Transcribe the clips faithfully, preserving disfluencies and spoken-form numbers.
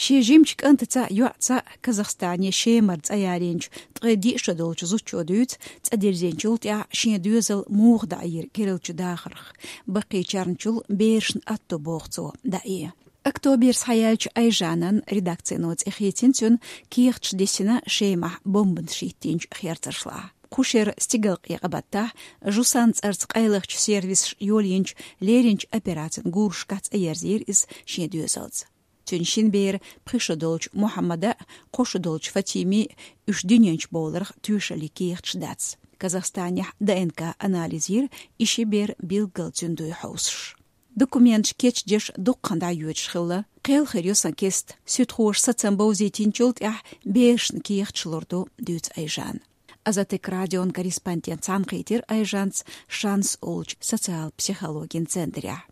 Шен жимчу кӀантаца а, йоӀца а Казахстане Шемара цӀа ялийначу ткъе диъ шо долчу зудчо дуьйцу цӀа дирзинчул тӀаьхьа шен доьзал муха дӀаийра керла дахарх, баккхийчарна чул берашна атто боху цо дӀаэ. Октоберца схьаяьллачу Айжанан редакцино цӀе хийцина цуьнан кехаташ дисина Шемахь бомбанаш хӀиттинчу херцаршлахь. Кху шеран стигалкъекъа баттахь Жусан цӀарца къайлахчу сервисаша йолийначу леринчу операцин гурашкахь цӀа ерзийра иза шен доьзалца. Цуьнан шина бера пхи шо долчу Мухьаммада а, кхо шо долчу Фатими а уьш дуьнен чу бовларх тоьшаллин кехаташ дац. Казахстанехь ДНК анализ йира, и ши бер билггал цуьнан дуй хьовсуш. Документаш кечдеш дуккха хан дӀайоьдуш хилла. Кхел хир ю сан кеста, суьдхоша сацам бовзийтинчул тӀаьхьа берашна кехаташ лур ду, дуьйцу Айжана. Азатик радион корреспондент цхьаьнакхийтира Айжанца «Шанс» олучу социал-психологин центрехь.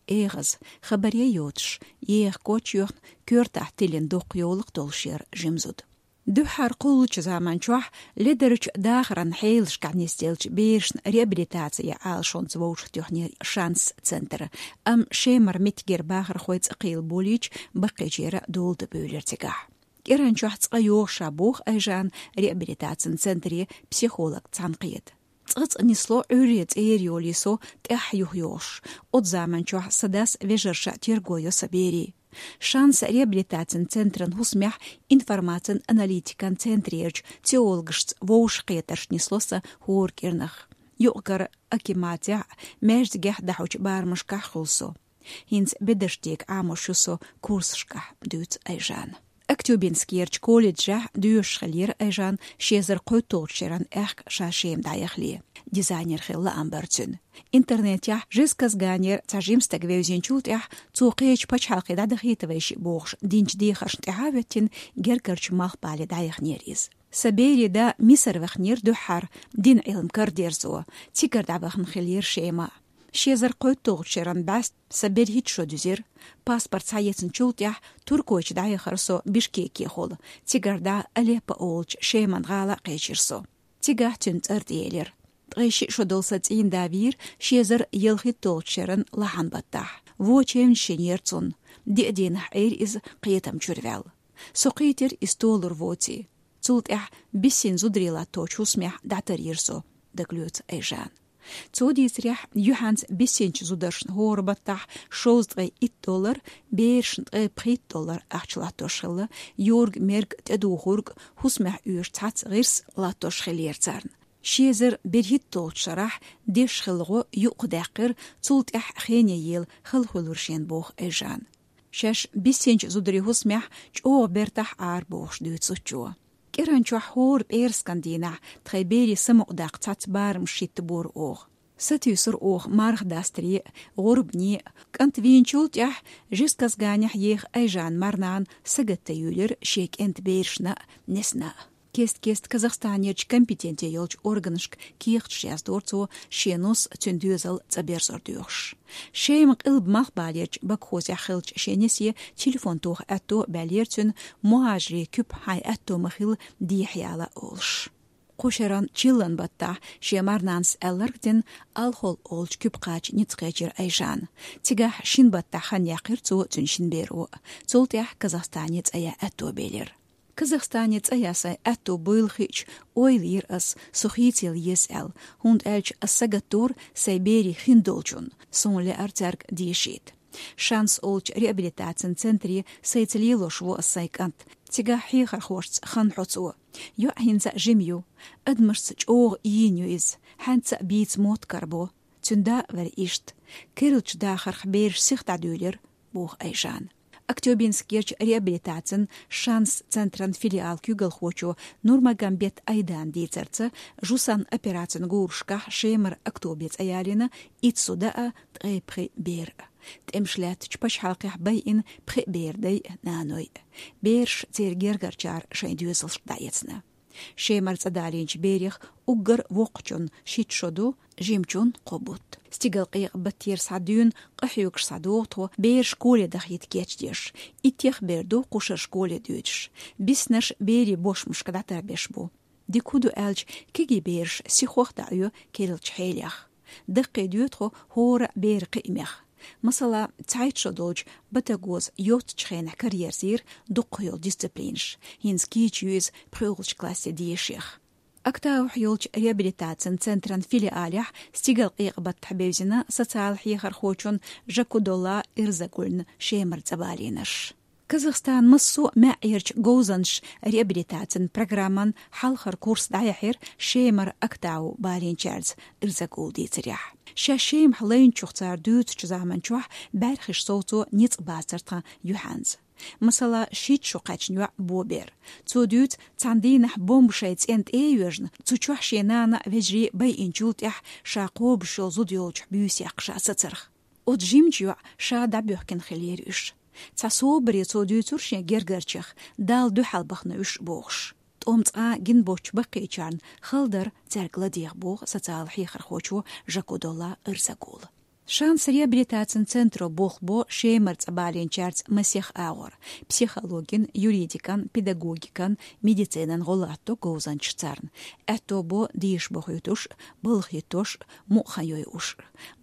Эгаза, хабаре йоцуш, еха коч йоьхна, коьртахь тиллина доккха йовлакх долуш яра жима зуда. Дуьххьара кхуллучу заман чохь ледарчу дахаран хьелашкахь нисделлачу берашна реабилитаци Ӏалашонца вовшахтоьхнера «Шанс» центр, амма Шемара меттигера бахархой цӀа кхийла болийча, баккхийчеран дола дан буьйлира цигахь. КӀиранчохь цкъа йогӀуш боху Айжана реабилитацин центре психолог цхьаьнакхета. Цкъа-цкъа нисло Ӏуьйре цӀера йолий со тӀаьхьа юха йогӀуш. Оцу заман чохь сан дас вежарша терго йо сан берийн. «Шанс» реабилитацин центран хӀусамехь информацин аналитикан центрерчу психологашца вовшахкхетарш нисло сан хӀора кӀирнах. Юкъ-кара акиматехь а, маьждигехь а дӀахьочу барамашкахь хуьлу со. ХӀинца бедарш дега Ӏамош ю со курсашкахь, дуьйцу Айжана. Актюбинскерчу колледжехь доьшуш хиллера Айжана ши эзар кхойтталгӀачу шеран аьхка ша Шема дӀаяхале. Дизайнер хила лаам бара цуьнан. Интернетехь Жезказганера цхьа жима стаг вевзинчул тӀаьхьа цо кхечу пачхьалкхе дӀадахийта вайшиъ бохуш динчу дехаршна тӀаьхьа а хӀоьттина, гергарчу Малхбале дӀаяханера иза. Сан берийн да Мисар ваханера дуьххьара дин Ӏилма карадерзо, цигара дӀавахана хиллера Шема. Ши эзар кхойтталгӀачу шеран бӀаьста сан берхӀитта шо дуьзира. Паспорт схьаэцначул тӀаьхьа туркойчу дӀаяхара со Бишкекехула, цигара дӀа Алеппо олучу Шеман гӀала а кхечира со. Цигахь цуьнан цӀар тӀеэлира. Ткъе шиъ шо долу сан цӀийнда вийра ши эзар ялхитталгӀачу шеран лахьан баттахь. Вочевнаш шинера цунна. Диъ дийнахь Ӏийра иза кхетам чуьра ваьлла. Со кхийтира иза толур воций. Цул тӀаьхьа биссина зударий латточу хӀусамехь дӀатарйира со, дагалоьцу Айжана. Цо дийцарехь, юьхьанца биссинчу зударшна хӀора баттахь шовзткъе итт доллар, берашна ткъе пхийтта доллар ахча латтош хилла, юрг-мерг, тӀедухург, хӀусамехь оьшу цхьацца гӀирс латтош хиллера царна. Ши эзар берхӀитталгӀачу шарахь дешна хилла гӀо юкъадаьккхира, цул тӀаьхьа хене ела хала хуьлура шена, боху Айжана. Шаьш биссинчу зударийн хӀусамехь чӀогӀа бертахь Ӏара бохуш дуьйцу зудчо. КӀиранчохь хӀора пӀераскан дийнахь тхайн берийн самукъадаккха цхьацца барамаш хӀиттабора оха. Сатуьйсура оха марха дастаре а, гӀурбане а. КӀант вийначул тӀаьхьа Жезказганехь еха Айжанан марнана сагатдан юьйлира шен кӀентан берашна а, несна а. Кест-кеста Казахстанерчу компетенци йолчу органашка кехаташ яздора цо, шен нус, цуьнан доьзал цӀа берзор доьхуш. Шема къилба Малхбалерчу Бакхозехь хиллачу шен несе телефон тоха аьтто а баьллера цуьнан, мухӀажарийн куьпа хьайн аьтто ма-хилла дехьаяла олуш. Кху шеран чиллан баттахь шен марнанас аьлларг а дина, Алхол олучу куьпа кхача ницкъ кхечира Айжана. Цигахь шина баттахь хан яьккхира цо, цуьнан шина беро а. Цул тӀаьхьа Казахстане цӀа ян аьтто белира. Казахстане цӀа ян сайн аьтто буйла хиъча, ойла йира ас, со хийцаялла еза аьлла, хӀунда аьлча ас сагатдора сайн берийн хиндолчунна, суна лаьара цаьрга дешийта. «Шанс» олучу реабилитацин центре сайца лелош ву ас сайн кӀант. Цигахь хьехархошца хан хьо цо. ЙоӀ хӀинца а жима ю. Адамашца чӀогӀа ийна ю иза, хьаьнца а бийца мотт карабо. Цуьнан да а вара иштта. Керлачу дахарх бераш сиха дӀадуьйлира», — боху Айжана. Актёбинскерчу реабилитацин «Шанс» центран филиалан куьйгалхочо Нурмагомбет Айдана дийцарца, Жусан операцин гурашкахь Шемара Октобе цӀа ялийна итт зуда а, ткъе пхи бер а. ТӀемаш лаьттачу пачхьалкхехь байина пхи бер дай а, наной а. Бераш, церан гергарчара шайн доьзалшка дӀаэцна. Шемара цӀа далийначу берех уггар воккхачун шийтта шо ду, жимачун кхо бутт. Стигалкъекъа баттера схьа дуьйна, къахьоьгуш схьадогӀу тхо, бераш школе дахийта кечдеш. Иттех бер ду кху шарахь школе дуьйцуш. Биснарш берийн бошмашка дӀатарбеш бу. Дика хӀун ду аьлча, кегий бераш сихох а дӀаоьцу керлачу хьелех. Даккхийдоьду тхо хӀора а беран кхиамех. Масала, цхьайтта шо долчу батагоза йоццачу хенахь караерзийра дукха йолу дисциплинаш, хӀинца кийча ю иза пхоьалгӀачу классе дешех. Актаухь йолчу реабилитацин центран филиалехь стигалкъекъа баттахь бевзина социал хьехархочун Жакудолла Ирзагуллин Шемара цӀа балийнарш. Казахстан массо а маьӀӀерчу говзанчаша реабилитацин программан хьалхара курс дӀаяьхьира Шемара Актау балийначаьрца, Ирзагулла дийцарехь. Шаьш Шемахь лайначух цара дуьйцучу заманчохь бӀаьрхиш совцо ницкъ бацара тхан юьхьанца. Масала, шийтта шо кхаьчна йоӀ Бобер. Цо дуьйцу, цхьана дийнахь бомба шайн цӀенна тӀе а йоьжна, цу чохь шен нана а, вежарий а байинчул тӀаьхьа ша кхобуш йолу зуда йолчохь буьйса яккха ша сацарх. Оцу жимачу йоӀа ша дӀабоьхкина хиллера уьш. Цхьа собаре цо дуьйцура шен гергарчех, Далла дуьхьал бахана уьш бохуш. ТӀом цкъа а гина боцчу баккхийчарна хала дара цаьрга ладегӀа, боху социал хьехархочо Жакудолла Ирзагулла. Шанс реабилитацин центро болх бо Шемара цӀа балийначаьрца масех агӀор: психологин, юридикан, педагогикан, медицинан гӀо латто говзанчаша царна. Аьтто бо дийша бохуьйтуш, балха хӀиттош, мукъа хан йойуш.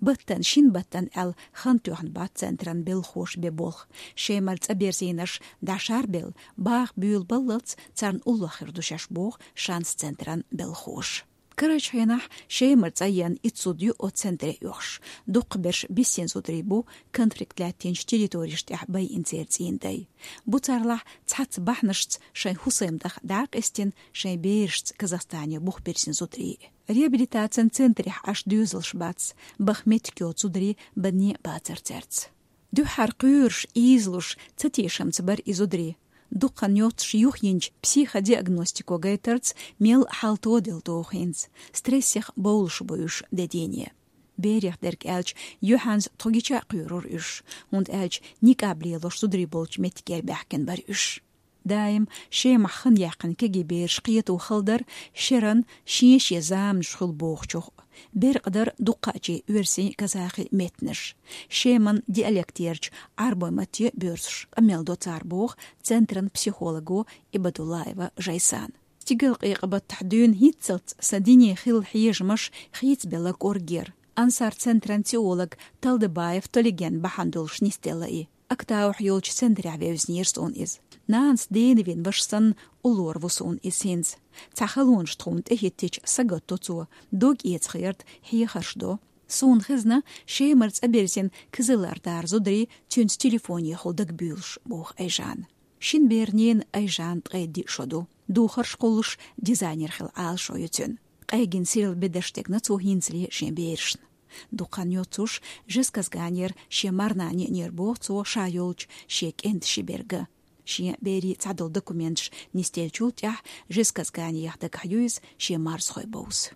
Баттана, шина баттана аьлла, хан тоьхна бац центран белхахоша бен болх. Шемара цӀа берзийнарш дӀашарбелла, баха буьйлабаллалц царна уллохь хир ду шаьш, боху Шанс центран белхахоша. Карарчу хенахь Шемара цӀа еана итт зуда ю оцу центре оьхуш. Дукхахберш биссина зударий бу, конфликт лаьттинчу территорешна тӀехь байина церан цӀийнан дай. Бу царлахь цхьацца бахьанашца шайн хӀусамдах дӀа а къестина, шайн берашца Казахстане бух бирзина зударий. Реабилитацин центрехь Ӏаш доьзалш бац, баха меттиг йоцу зударий банне а бацара цаьрца. Дуьххьара кхоьруш, ийзалуш, цатешамца бара и зударий. Дукха хан йоццуш юхайинчу психодиагностико гайтарца мел хьал тоделла догӀу хӀинца. Стрессех бовлуш бу уьш де дийне. Берех дерг аьлча, юьхьанца тхо гича а кхоьрура уьш, хӀунда аьлча никъаб лелош зударий болчу меттигера баьхкина бара уьш. Даим Шемахь хан яьккхина кегий бераш кхето хала дара шеран шен-шен заманаш хуьлу бохучух. Беркъа дара дуккхачийн оьрсийн, казахи меттанаш. Шеман диалектерчу Ӏарбойн матте боьрзуш къамел до цара, боху центран психолого Ибадуллаева Жайсана. Стигалкъекъа баттахь дуьйна хӀинццалц сан дине хилла хьежамаш хийцабелла кӀоргера. Ансар центран теолог Талдыбаев Толиген бахьана долуш нисделла и. Актаухь йолчу центрехь вевзинера суна иза. Нанас дена вина ваша санна уллора ву суна иза хӀинца. Цхьа халонаш тхуна тӀехӀиттича, сагатдо цо, дог эца херта хьехарш до. Суна хезна, Шемара цӀа бирзина Кызылордара зударий цуьнца телефонехула дагабуьйлуш, боху Айжана. Шина беран ненан, Айжанан, ткъе диъ шо ду. Духарш кхуллуш, дизайнер хила Ӏалашо ю цуьнан. Къегина сирла бедарш дегна цо хӀинцале шен берашна. Дукха хан йоццуш Жезказганера шен марнана еанера, боху цо, ша йолчу шен кӀентан ши берг а. Шен берийн цхьадолу документаш нисделлачул тӀаьхьа Жезказганех дагахь ю иза шен марзхой бовза.